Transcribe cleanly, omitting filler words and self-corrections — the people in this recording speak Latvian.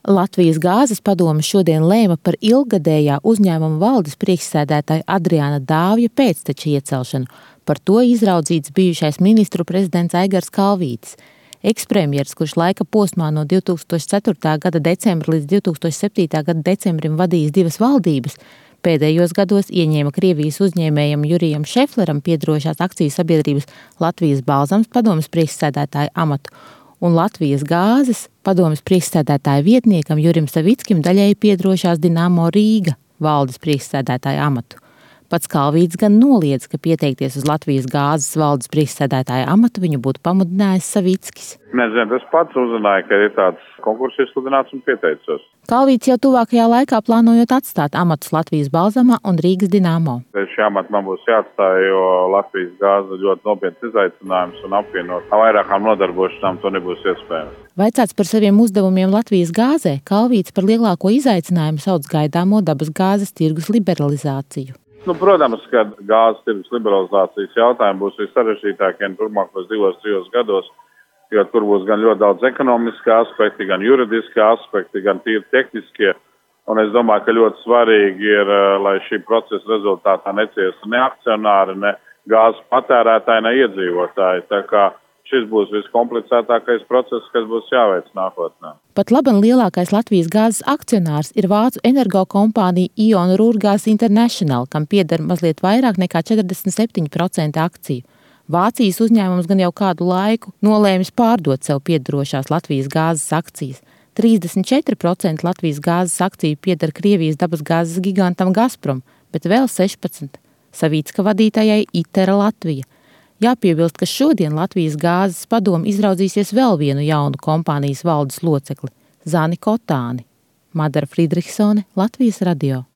Latvijas gāzes padome šodien lēma par ilggadējā uzņēmuma valdes priekšsēdētāja Adriāna Dāvja pēcteča iecelšanu. Par to izraudzīts bijušais ministru prezidents Aigars Kalvītis. Ekspremjers, kurš laika posmā no 2004. gada decembra līdz 2007. gada decembrim vadījis divas valdības, pēdējos gados ieņēma Krievijas uzņēmējam Jurijam Šefleram piederošās akciju sabiedrības Latvijas Balzams padomes priekšsēdētāja amatu un Latvijas gāzes padomes priekšsēdētāja vietniekam Jurim Savickim daļēji piederošās Dinamo Rīga valdes priekšsēdētāja amatu. Pats Kalvītis gan noliedz, ka pieteikties uz Latvijas gāzes valdes priekšsēdētāja amatu viņu būtu pamudinājis Savickis. Nezinu, es pats uzzināju, ka ir tāds konkurss izsludināts un pieteicos. Kalvītis jau tuvākajā laikā plānojot atstāt amatus Latvijas Balzamā un Rīgas Dinamo. Šī amata man būs jāatstāj, jo Latvijas gāze ļoti nopietns izaicinājums un apvienot vairākām nodarbošanām to nebūs iespējams. Vaicāts par saviem uzdevumiem Latvijas gāzē, Kalvītis par lielāko izaicinājumu sauc gaidāmo dabas gāzes tirgus liberalizāciju. Protams, ka gāzes tirgus liberalizācijas jautājumi būs vissarežģītākie turpmākos 2-3 gados, jo tur būs gan ļoti daudz ekonomiskie aspekti, gan juridiskie aspekti, gan tīri tehniskie. Un es domāju, ka ļoti svarīgi ir, lai šī procesa rezultātā neciestu ne akcionāri, ne gāzes patērētāji, ne iedzīvotāji. Tā kā šis būs viskomplicētākais process, kas būs jāveic nākotnē. Pat laban lielākais Latvijas gāzes akcionārs ir vācu energokompānija Ion Ruhrgas International, kam pieder mazliet vairāk nekā 47% akciju. Vācijas uzņēmums gan jau kādu laiku nolēmis pārdot sev piederošās Latvijas gāzes akcijas. 34% Latvijas gāzes akciju pieder Krievijas dabasgāzes gigantam Gazprom, bet vēl 16% Savicka vadītājai Itera Latvija. Jāpiebilst, ka šodien Latvijas gāzes padome izraudzīsies vēl vienu jaunu kompānijas valdes locekli – Zani Kotāni. Madara Friedrichsone, Latvijas radio.